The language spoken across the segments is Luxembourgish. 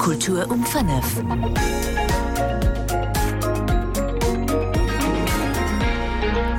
Kultur um 5.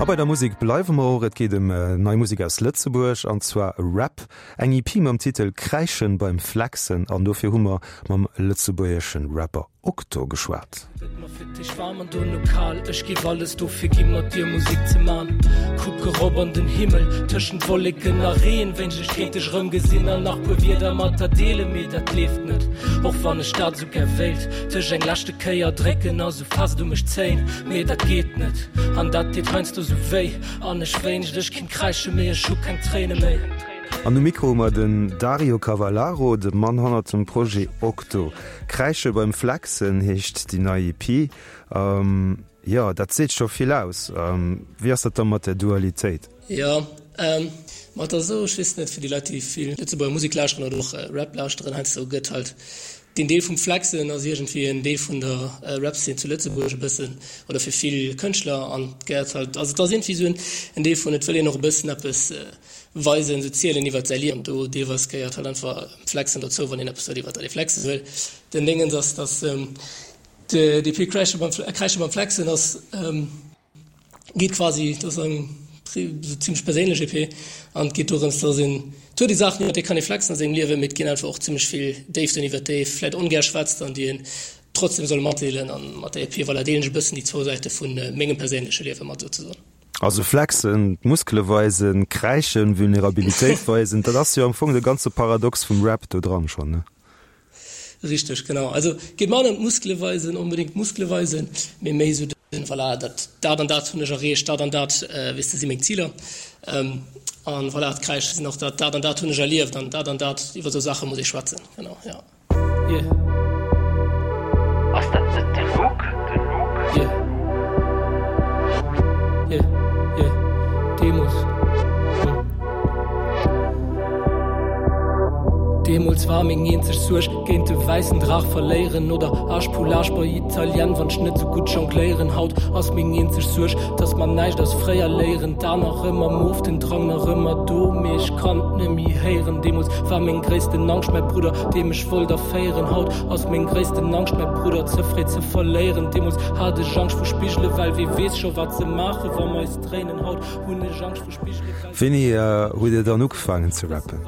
A bei der Musek bleiwe mer och. Et geet ëm nei Musek aus Lëtzebuerg, an zwar Rap. Eng EP mam Titel Kräischen beim Flexen an dofir hu mer mam lëtzebuergeschen Rapper Okto geschwat. Gëtt mer fir d'éischt waarm an dono kal Ech giff alles dofir gi mat dir Musek ze man Kuck erop an den Himmel tëschent Wolleken a Reen Wéinscht ech kéint dech erëm gesinn an nach puer Wierder mat der deelen Mee dat leeft net, och wann ech dat sou gär wéilt Dech eng leschte Kéier drécken a sou fest u mech zéien Mee dat geet net an dat deet heiansdo sou wéi An ech wéinscht ech kinnt kräische mee ech hu keng Tréine méi. An um Mikro hu mer den Dario Cavallaro, de Mann hannert dem Projet Okto. Kräische beim Flexen heescht déi nei EP. Jo, dat seet scho vill aus. Wéi ass dat da mat der Dualitéit? Jo, ma et ass esou, ech weess net, fir déi Leit, déi vill Lëtzebuerger Musek lauschteren oder och Rap lauschteren, heiansdo gëtt halt deen Deel vum Flexen ass iergendwéi en Deel vun der Rap-Szene zu Lëtzebuerg e bëssen oder fir vill Kënschtler an et gehéiert halt, also et ass iergendwéi esou en Deel vun, et wëll een och e bëssen eppes weisen, sou zielen iwwert säi Liewen. Do deelweis gehéiert halt einfach Flexen dozou, wann een eppes huet iwwert dat ee flexe wëll. Den Déngens ass, dass d'EP Kräische beim Kräische beim Flexen ass, geet quasi, dat ass eng sou zimmlech perséinlech EP an et geet dorëms, dass een, et huet ee Saachen iwwert déi kann ee flexen a sengem Liewen, mee et ginn einfach och zimmlech vill Déiften iwwert déi ee vläit ongär schwätzt an déi een trotzdem soll matdeelen. An mat der EP, voilà, deelen ech e bëssen déi zwou Säite vu mengem perséinleche Liewe mat souzesoen. Also flexen, d'Muskele weisen, kräischen, Vulnerabilitéit weisen, dat ass jo am Fong de ganze Paradox vum Rap do dran schonn, ne? Richteg, genau. Also geet manner ëm d'Muskele weisen, onbedéngt d'Muskele weisen, mee méi esou den, voilà, dat, dat an dat hunn ech erreecht, dat an dat, weess de, si meng Ziler. An voilà, d'Kräische sinn och dat, dat an dat hunn ech erlieft an dat an dat, iwwer esou Saache muss ee schwätzen, genau, jo. Yeah. Ass dat net de Luke? De Luke? Yeah. Yeah. Yeah. Deemols. Hm. Deemols war meng eenzeg Suerg, géint de wäissen Draach verléieren oder Arschpoulage bei Italien, wann ech net sou gutt jongléieren. Haut ass meng eenzeg Suerg, dass mer näischt aus fréier léieren. D'An nach ëmmer mof, den Drang nach ëmmer do, mee ech kann et nemmi héieren. Deemols war meng gréissten Angscht mäi Brudder, dee mech wollt erféieren. Haut ass meng gréissten Angscht mäi Brudder ze fréi ze verléieren. Deemols hat ech Angscht vu Spigele well wee weess scho wat se maache wa mer eis dréinen. Haut hunn ech Angscht vu Spigele well. Wéini hutt Dir dann ugefaangen ze rappen?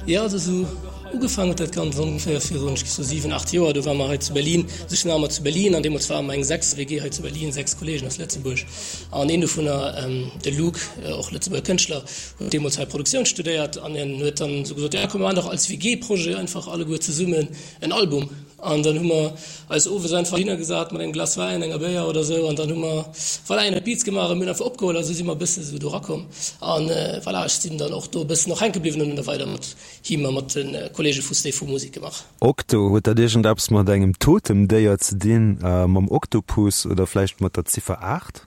Jo, also sou ugefaangen huet dat Ganzt ongeféier virun, ech géif soen, 7, 8 Joer. Do ware mer hei zu Berlin, also ech sinn nach ëmmer zu Berlin an deemools ware mer eng 6 WG hei zu Berlin, 6 Kolleegen aus Lëtzebuerg an een dovunner, de Luke, och Lëtzebuerger Kënschtler, huet deemools hei Produktioun studéiert an hien huet dann esou gesot, jo komm mer maachen dach als WG-Projet einfach alleguer zesummen en Album. An dann hu mer eis owes einfach hinner gesat mat engem Glas Wäin, enger Béier oder sou an dann hu mer, voilà, een huet Beats gemaach a mir hunn einfach opgeholl a sou si mer e bësse sou do rakomm. An voilà, ech sinn dann och do e bëssen och hänke bliwwen an hunn da weider mat him a mat de Kolleege vu Stay Fu Musek gemaach. Okto, huet dat iergendeppes mat engem Totemdéier ze dinn, mam Oktopus oder vläicht mat der Ziffer 8?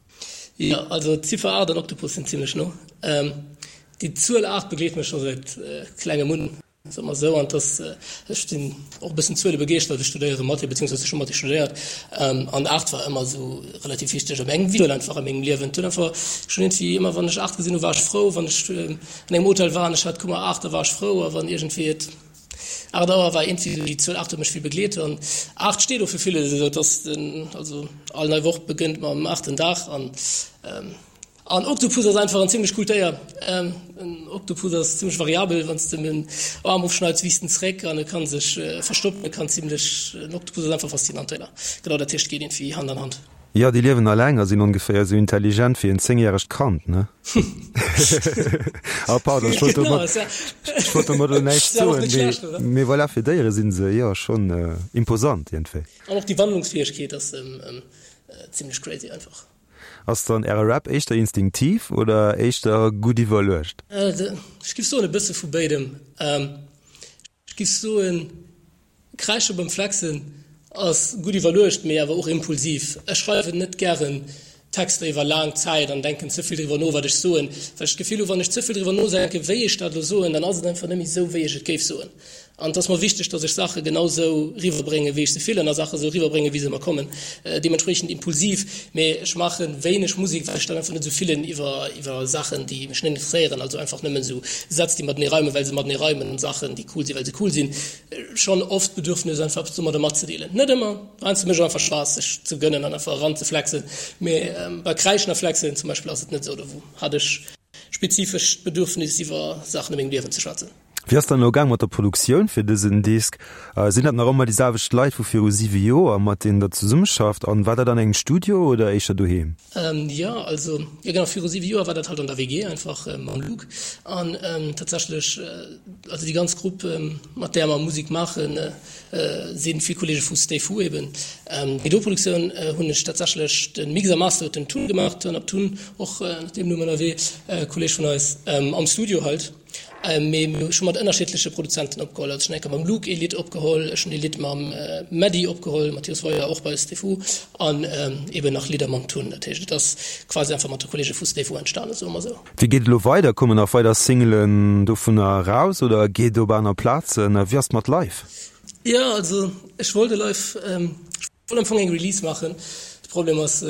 Jo, also d'Ziffer 8 an Oktopus sinn zimmlech no. Déi Zuel 8 begleet mech scho säit klengem un. Soe mer esou, an dass ech sinn och e bëssen Zuele begeeschtert, ech studéiere Mathé, beziehungsweise ech hu Mathé studéiert, an 8 war ëmmer esou relativ wichteg op engem Zuel einfach a mengem Liewen. Et huet einfach schonn iergendwéi ëmmer wann ech 8 gesinn hu war ech frou, wann ech an engem Hotel war an ech hat Kummer 8, da war ech frou, a wann iergendwéi et 8 Auer war, iergendwéi esou déi Zuel 8 huet mech vill begleet an 8 steet och fir villes, esou dass den also all nei Woch begënnt mam aachten Dag an. An Oktopus ass einfach en zimmlech coolt Déier. En Oktopus ass zimmlech variabel, wann s de em en Aarm ofschneits, wiisst en zeréck an e kann sech verstoppen. E kann zimmlech, en Oktopus ass einfach faszinant Déier. Genau, dat heescht, geet iergendwéi Hand an Hand. Jo, déi liewen alleng a sinn ongeféier esou intelligent wéi en zéngjäregt Kand, ne? Ah pardon, ech wollt domat, ech wollt domat elo näischt soen, mee, mee voilà, fir Déiere si se jo schonn imposant iergendwéi. An och déi Wandlungsfäegkeet ass zimmlech crazy einfach. Ass dann äre Rap éischter instinktiv oder éischter gutt iwwerluecht? Ech giff soen e bësse vu béidem. Ech giff soen Kräische beim Flexen ass gutt iwwerluecht, mee awer och impulsiv. Ech schreiwen net gären Texter iwwer laang Zäit an denken ze vill driwwer no wat ech soen, well ech d'Gefill hu wann ech ze vill driwwer nodenken wéi ech dat elo soen, dann ass et einfach net méi esou wéi ech et géif soen. An et ass mer wichteg, dass ech Saache genau sou riwwerbréngen, wéi ech se fillen, a Saache sou riwwerbréngen, wéi se mer kommen. Deementspriechend impulsiv, mee ech maache wéineg Musek, well ech dat einfach net sou fillen iwwer iwwer Saachen, déi mech net interesséieren. Also einfach nëmmen sou Sätz, déi matenee reimen, well se matenee reimen, an Saachen, déi cool sinn, well se cool sinn. Schonn oft d'Bedürfnis, einfach eppes domadder matzedeelen. Net ëmmer, heiansdo mécht et och einfach Spaass, sech ze gënnen an einfach eranzeflexen. Mee bei Kräischen a Flexen zum Beispill ass et net sou, do hat ech spezifesch d'Bedürfnis, iwwer Saachen a mengem Liewen ze schwätzen. Wéi ass dann elo gaang mat der Produktioun fir dësen Disk? Sinn dat nach ëmmer déi selwecht Leit vu viru 7 Joer, mat deenen der zesummeschafft? An war dat an engem Studio oder éischter doheem? Jo, also jo genau, viru 7 Joer war dat halt an der WG einfach mam Luc. An tatsächlech, also déi ganz Grupp mat där mer Musek maachen, si vill Kolleege vu Stay Fu eben. Déi do Produktioun hunn ech tatsächlech, de Mix a Master huet den Tun gemaach, Turn Up Tun, och ënner deem Numm ënnerwee, Kolleeg vun eis, am Studio halt. Mee mir hu scho mat ënnerschiddleche Produzenten opgeholl. Also ech hunn eng Kéier mam Luke ee Lidd opgeholl, ech hunn ee Lidd mam Mehdi opgeholl, Mathias Woyer, och bei Stay-Fu, an eben nach Lidder mam Tun. Dat heescht, et ass quasi einfach mat de Kolleege vu Stay-Fu entstanen, soe mer esou. Wéi geet et elo weider? Kommen nach weider Singlen dovunner eraus oder geet et op aner Plazen? A wéi ass et mat Live? Jo, also ech wollt e Live, Wollt am Fong eng Release maachen. De Problem ass,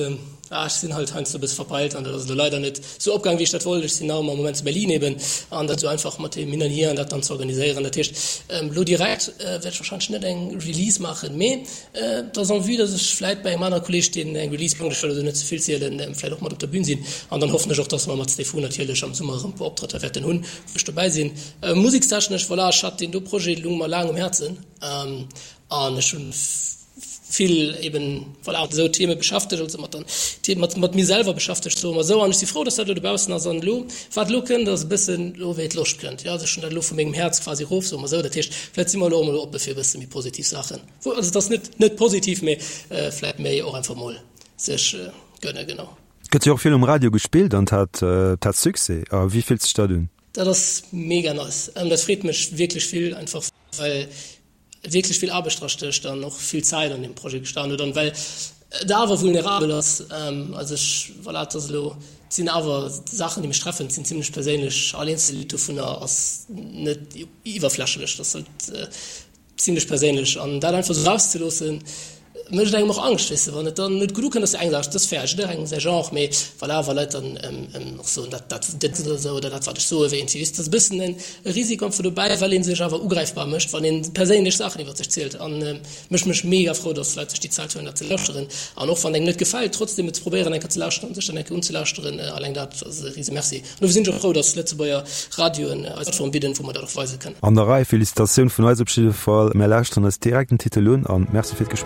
ah ech sinn halt heiansdo e bësse verpeilt an dat ass elo leider net sou opgaang wéi ech dat wollt. Ech sinn nach ëmmer am Moment zu Berlin eben an dat sou einfach mat deem Hin an Hier an dat dann ze organiséieren. Dat heescht elo direkt wäert ech wahrscheinlech net eng Release maachen, mee et ass en vue, datt ech vläit bei engem anere Kolleeg, deen eng Release plangt, ech wëll elo net ze vill zielen, vläit och mat op der Bühn sinn an dann hoffen ech och, datt mer mat Stay Fu natierlech am Summer erëm e puer Optrëtter wäerten hunn, wou ech dobäi sinn. Musekstechnesch, voilà, ech hat deen do Projet lung mer laang um Häerzen an ech hunn vill eben voilà mat esou Theme beschäftegt, also mat den Themen, mat mat mir selwer beschäftegt, soe mer esou. An ech si frou, dass dat elo dobaussen ass. An elo, wat elo kënnt, ass e bëssen elo wéi d'Loscht kënnt, jo. Also ech hunn dat elo vu mengem Häerz quasi erof, soe mer esou. Dat heescht, vläicht si mer elo och mol oppe fir e bësse méi positiv Saachen. Wou, also et ass net net positiv, mee vläicht méi och einfach mol sech gënne, genau. Gëtt jo och vill um Radio gespillt an hat hat Succès. A wéi fillt sech dat un? Dat ass mega nice. Dat freet mech wierklech vill, einfach well wierklech vill Aarbecht dra stécht an och vill Zäit an deem Projet gestan huet an well et awer vulnerabel ass. Also ech, voilà, et ass elo, et sinn awer Saachen, déi mech treffen, et sinn zimlech perséinlech, all eenzel Lidd dovunner ass net iwwerflächlech, dat ass halt zimlech perséinlech an dat einfach esou erauszeloossen, Mécht engem och Angscht, weess de, wann et dann net gutt ukënnt, ass jo eng Saach, dat ass fair, jidderengem säi Genre, mee voilà, wa Leit dann och soen, dat, dat, dat oder esou oder dat, wat ech soe wéi iergendwéi, weess de, dat ass e bëssen e Risiko einfach dobäi, well ee sech awer ugräifbar mécht, wann ee perséinlech Saachen iwwer sech zielt. An mécht mech mega frou, datt Leit sech déi Zäit huelen, dat ze lauschteren. An och wann engem net gefält, trotzdem et ze probéieren, eng Kéier ze lauschteren an sech dann eng Kéier unzelauschteren, alleng dat ass e rise Merci. An dofir sinn ech och frou, datt Lëtzebuerger Radioen eis Plattform bidden, wou mer dat och weise kënnen. An der Rei, Felicitatioun vun eis op jidde Fall. Mär lauschteren eis direkt den Titel un an Merci fir d'Gespréich.